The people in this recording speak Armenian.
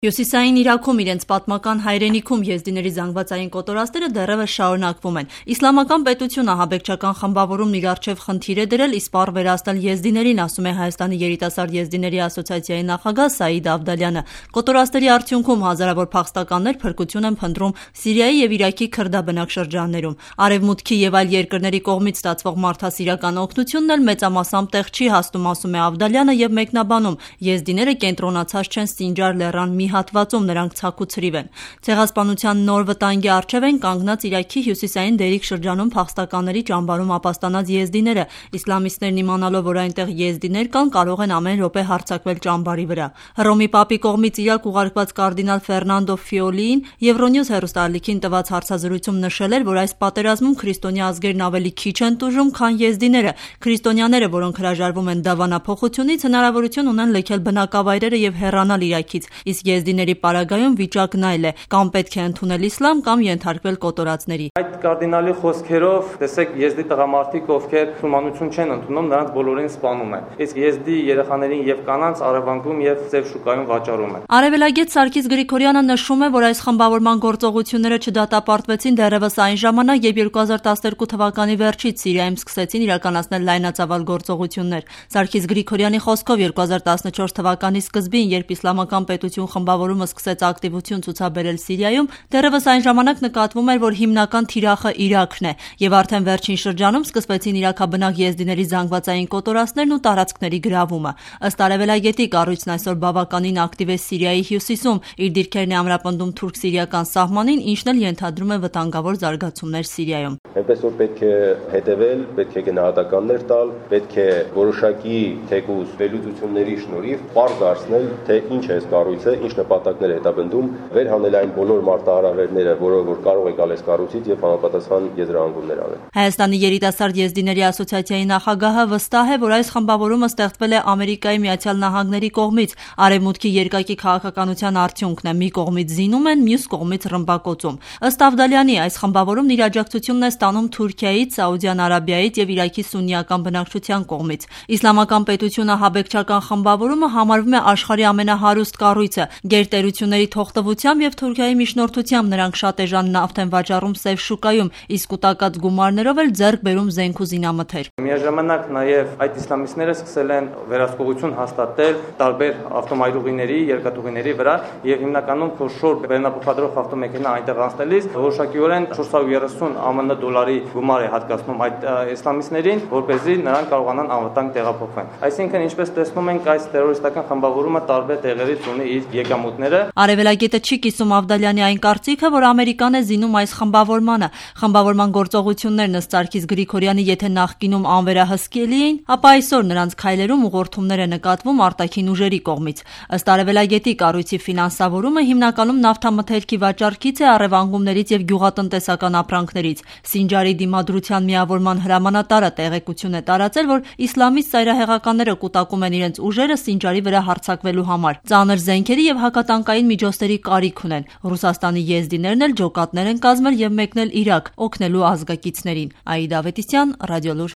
Հյուսիսային Իրաքում իրենց պատմական հայրենիքում եզդիների զանգվածային կոտորածները դեռևս շարունակվում են։ Իսլամական պետությունը ահաբեկչական խմբավորումն իր առջև խնդիր է դրել իսպառ վերացնել եզդիներին, ասում է Հայաստանի երիտասարդ եզդիների ասոցիացիայի նախագահ Սաիդ Ավդալյանը։ Կոտորածների արդյունքում հազարավոր փախստականներ փրկություն են փնտրում Սիրիայի եւ Իրաքի քրդաբնակ շրջաններում։ Արևմուտքի եւ այլ երկրների կողմից ստացվող մարդասիրական օգնությունն էլ մեծամասամբ տեղ չի հասնում, ասում է Ավդալյանը եւ մեկնաբանում. եզդիները կենտրոնացած չեն Սինջար լեռան մի հատվածում, նրանք ցաքուցրիվ են։ Ցեղասպանության նոր վտանգի առջև են կանգնած Իրաքի հյուսիսային Դերիկ շրջանում փախստականների ճամբարում ապաստանած եզդիները։ Իսլամիստներն իմանալով, որ այնտեղ եզդիներ կան, կարող են ամեն րոպե հարձակվել ճամբարի վրա։ Հռոմի Պապի կողմից Իրաք ուղարկված կարդինալ Ֆերնանդո Ֆիոլիին Եվրոնյուզ հեռուստաալիքին տված հարցազրույցում նշել էր, որ այս պատերազմում քրիստոնյա ազգերն ավելի քիչ են տուժում, քան եզդիները։ Քրիստոնյաները, որոնք հրաժարվում են դավանափոխությունից, հնարավորություն ունեն լքել բնակավայրերը եւ հեռանալ Իրաքից, իսկ եզդիների պարագայում վիճակն այլ է, կամ պետք է ընդունել իսլամ, կամ ենթարկվել կոտորածների։ Այդ կարդինալի խոսքերով, տեսեք, եզդի տղամարդիկ, ովքեր մուսուլմանություն չեն ընդունում, նրանց բոլորին սպանում են։ Իսկ եզդի երեխաներին եւ կանանց առևանգում եւ ծև շուկայում վաճառում են։ Արևելագետ Սարգիս Գրիգորյանը նշում է, որ այս խմբավորման գործողությունները չդատապարտվեցին դեռևս այն ժամանակ, երբ 2012 թվականի վերջից Սիրիայում սկսեցին իրականացնել լայնածավալ գործողություններ։ Սարգիս Գրիգորյանի խոսքով 2014 թվականի սկզբին, երբ իսլամական պետություն խմբավորումը սկսեց ակտիվություն ցուցաբերել Սիրիայում, դեռևս այն ժամանակ նկատվում էր, որ հիմնական թիրախը Իրաքն է, եւ արդեն վերջին շրջանում սկսվեցին իրաքաբնակ եզդիների զանգվածային կոտորածներն ու տարածքների գրավումը։ Ըստ արևելագետի, կառույցն այսօր բավականին ակտիվ է Սիրիայի հյուսիսում, իր դիրքերն է ամրապնդում թուրք-սիրիական սահմանին, ինչն էլ ենթադրում է վտանգավոր զարգացումներ Սիրիայում։ Այնպես որ պետք է հետևել, պետք է գնահատականներ տալ, պետք է որոշակի թեկուզ վերլուծությունների շնորհիվ պարզ դարձնել, թե ինչ է այս կառույցը, ինչ նպատակներ է հետապնդում, վերհանել այն բոլոր մարտահրավերները, որոնք որ կարող է գալ այս կառույցից եւ համապատասխան եզրահանգումներ անել։ Հայաստանի երիտասարդ եզդիների ասոցիացիայի նախագահը վստահ է, որ այս խմբավորումը ստեղծվել է Ամերիկայի Միացյալ Նահանգների կողմից, արևմուտքի երկակի քաղաքականության արդյունքն է՝ մի կողմից զինում են, մյուս կողմից ռմբակոծում։ Ըստ Ավդալյանի, այս խմբավորումն իր աջակցությունն է ստանում Թուրքիայից, Սաուդյան Արաբիայից եւ Իրաքի սուննիական բնակչության կողմից։ Իսլամական պետությունը ահաբեկչական խմբավորումը համարվում է աշխարհի ամենահարուստ կառույցը։ Գերտերությունների թողտվությամբ եւ Թուրքիայի միջնորդությամբ նրանք շատ էժան նավթ են վաճառում սև շուկայում, իսկ կուտակած գումարներով էլ ձեռք բերում զենք ու զինամթեր։ Միաժամանակ նաեւ այդ իսլամիստները սկսել են վերահսկողություն հաստատել տարբեր ավտոմայրուղիների, երկաթուղիների վրա եւ հիմնականում խոշոր բեռնափոխադրող ավտոմեքենա այնտեղ անցնելիս որոշակիորեն 430 ԱՄՆ դոլարի գումար է հատկացնում այդ իսլամիստներին, որպեսզի նրանք կարողանան անվտանգ տեղափոխվեն։ Այսինքն, ինչպես տեսնում ենք, այս տերորիստական խմբավորումը տարբեր տեղերից ունի իր եկամուտները։ Արևելագետը չի կիսում Ավդալյանի այն կարծիքը, որ Ամերիկան է զինում այս խմբավորմանը։ Խմբավորման գործողություններն ըստ Սարգիս Գրիգորյանի եթե նախկինում անվերահսկելի էին, ապա այսօր նրանց քայլերում ուղղորդումներ է նկատվում արտաքին ուժերի կողմից։ Ըստ արևելագետի, կառույցի ֆինանսավորումը հիմնականում նավթամթերքի վաճառքից է, առևանգումներից եւ գյուղատնտեսական ապրանքներից։ Սինջարի դիմադրության միավորման հրամանատարը տեղեկություն է տարածել, որ իսլամիստ ծայրահեղականները կուտակում են իրենց ուժերը Սինջարի վրա հարձակվելու համար։ Ծանր զենքերի եւ հակատանկային միջոցների կարիք ունեն։ Ռուսաստանի եզդիներն էլ ջոկատներ են կազմել եւ մեկնել Իրաք, օգնելու ազգակիցներին։ Աիդա Ավետիսյան, Ռադիոլուր։